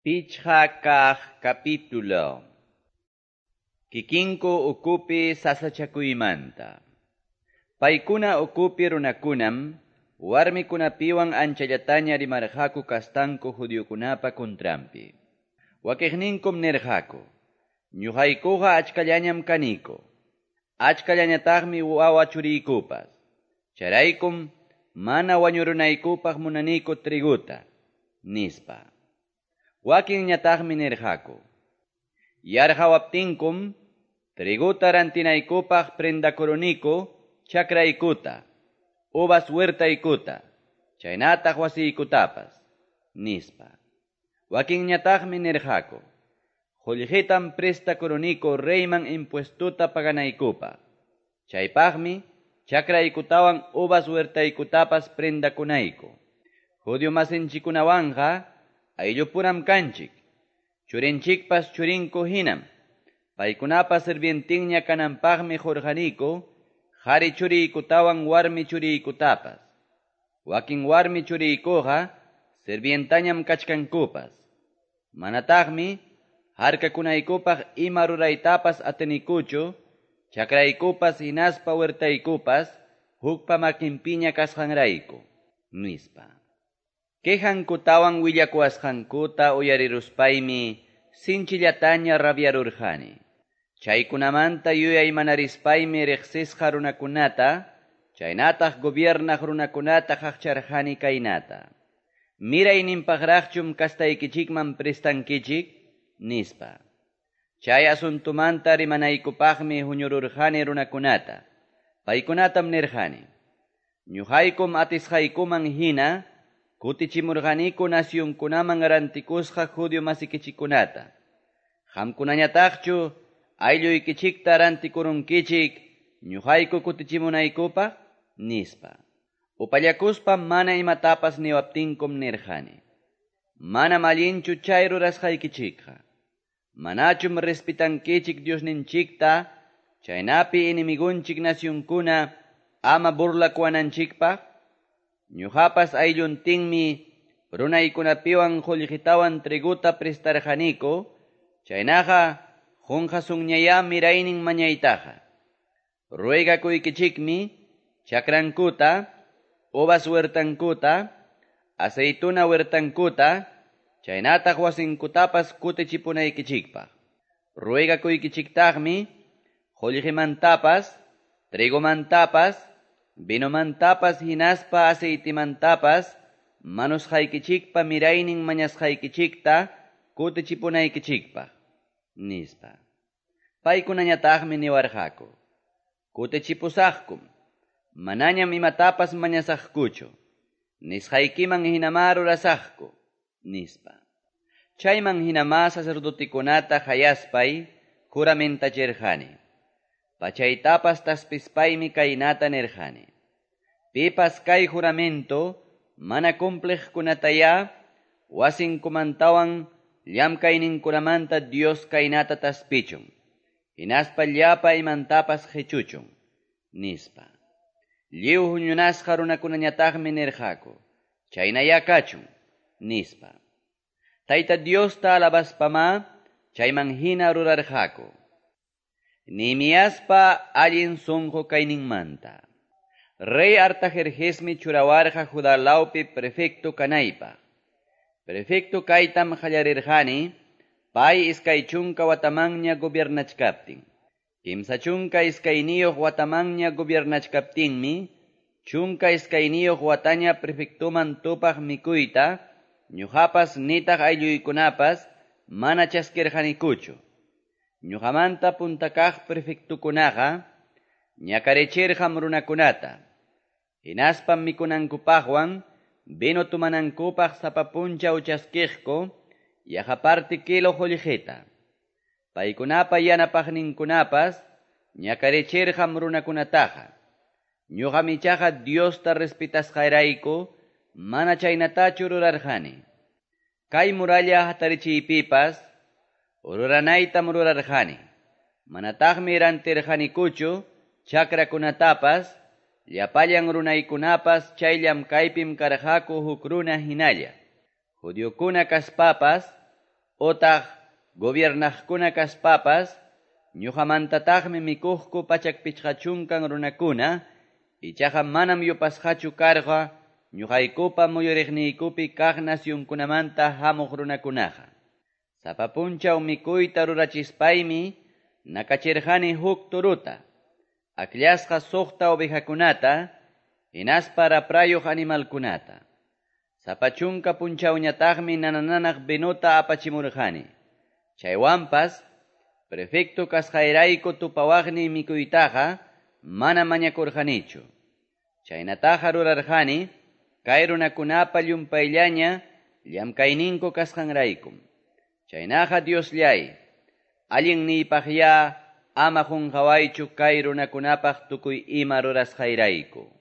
Pichqa kaq capítulo. Kikinku ukupi sasachakuymanta. Paykuna ukupi runakunam warmikunapiwan anchallataña rimarqaku kastanku judiokunapa kuntranpi. Wakiqninkum nirqaku: Ñuqaykuqa achkallañam kaniku. Achkallañataqmi wawa churiykupas. Chayraykum mana wañurunaykupaq munaniku triguta, nispa. Wakinñataqmi nirqaku: Yarqawaptinkum triguta rantinaykupaq prendakuruniku chakraykuta, uvas huertaykuta, chaynataq wasiykutapas, nispa. Wakinñataqmi nirqaku: Qullqitam prestakuruniku reyman impuestuta paganaykupaq. Chaypaqmi chakraykutawan uvas huertaykutapas prendakunayku. Judío masinchikkunawanqa ayllupuram kanchik. Churinchikpas churinku hinam. Paykunapa sirvientinña kananpaqmi qurqaniku, qhari churiykutawan warmi churiykutapas. Wakin warmi churiykuqa sirvientañam kachkankupas. Manataqmi harkakunaykupaq ima ruraytapas atinikuchu, chakraykupas hinaspa huertaykupas hukpa makinpiña kasqanrayku, nispa. Quejankutawan willakuwasqankuta uyariruspaymi sinchillataña rabiarurqani. Chaykunamanta yuyaymanarispaymi riqsisqa runakunata, chaynataq gobiernaq runakunata qaqcharqani kaynata: Mirayninpaqraqchum kastaykichikman prestankichik, nispa. Chay asuntumanta rimanaykupaqmi huñururqani runakunata. Paykunatam nirqani: Ñuqaykum atisqaykuman hina kutichimurqaniku nacionkunaman rantikusqa judío masikichikkunata. Qamkunañataqchu aylluykichikta rantikurunkichik ñuqayku kutichimunaykupaq, nispa. Upallakuspa mana imatapas niwaptinkum nirqani: Manam allinchu chay rurasqaykichikqa. Manachum respetankichik Diosninchikta, chaynapi enemigunchik nacionkuna ama burlakuwananchikpaq? Ñuqapas aylluntinmi runaykunapiwan qullqitawan triguta prestarqaniku, chaynaqa qunqasunñayá miraynin mañaytaqa. Ruegakuykichikmi chakrankuta, uvas huertankuta, aceituna huertankuta, chaynataq wasinkutapas kutichipunaykichikpaq. Ruegakuykichiktaqmi qullqimantapas, trigomantapas, vinomantapas hinaspa aceitimantapas manusqaykichikpa miraynin mañasqaykichikta kutichipunaykichikpaq, nispa. Paykunañataqmi niwarqaku: Kutichipusaqkum, manañam imatapas mañasaqkuchu, nisqaykiman hinamá rurasaqku, nispa. Chayman hinamá sacerdotekunata hayaspay juramentachirqani. Pachaytapas taspispaymi kaynata nirqani: Pipas kay juramento mana cumpliqkunatayá wasinkumantawan llamkayninkunamanta Dios kaynata taspichun, hinaspa llapa imantapas qichuchun, nispa. Lliw huñunasqa runakunañataqmi nirqaku: Chaynayá kachun, nispa. Tayta Diosta alabaspamá chayman hina rurarqaku. Nehemiaspa allin sunqu kayninmanta. Rey Artajerjesmi churawarqa Judá lawpi prefecto kanaypaq. Prefecto kaytam qallarirqani pay 20 watamanña gobiernachkaptin. 32 watamanña gobiernachkaptinmi 12 wataña prefectoman tupaq mikuyta ñuqapas nitaq aylluykunapas mana chaskirqanikuchu. Ñuqamanta punta kaq prefectukunaqa ñakarichirqam runakunata. Hinaspam mikunankupaqwan vino tumanankupaq sapa punchaw chaskiqku yaqa parti kilo qullqita. Paykunapa yanapaqninkunapas ñakarichirqam runakunataqa. Ñuqam ichaqa Diosta respetasqayrayku mana chaynatachu rurarqani. Kay muralla hatarichiypipas ruranaytam rurarqani. Manataqmi rantirqanikuchu chakrakunatapas, llapallan runaykunapas chay llamkaypim karqaku huk runa hinalla. Judiokuna kaspapas otaq gobiernaqkuna kaspapas, ñoqamantataqmi mikuqku 150 runakuna, ichaqa manam yupasqachu karqa ñoqaykupa muyuriqniykupi kaq nacionkunamanta hamuq runakunaqa. Sapa punchaw mikuyta rurachispaymi nakachirqani huk torota, akllasqa soqta ovejakunata, hinaspa raprayuq animalkunata. Sapa 10 punchawñataqmi nana-nanaq vinota apachimurqani. Chaywanpas, prefecto kasqayrayku tupawaqniy mikuytaqa mana mañakurqanichu. Chaynataqa rurarqani, kay runakunapa llumpayllaña llamkayninku kasqanraykum. Chaynaqa Diosllay, allinniypaqyá ama qunqawaychu kay runakunapaq tukuy ima rurasqayrayku.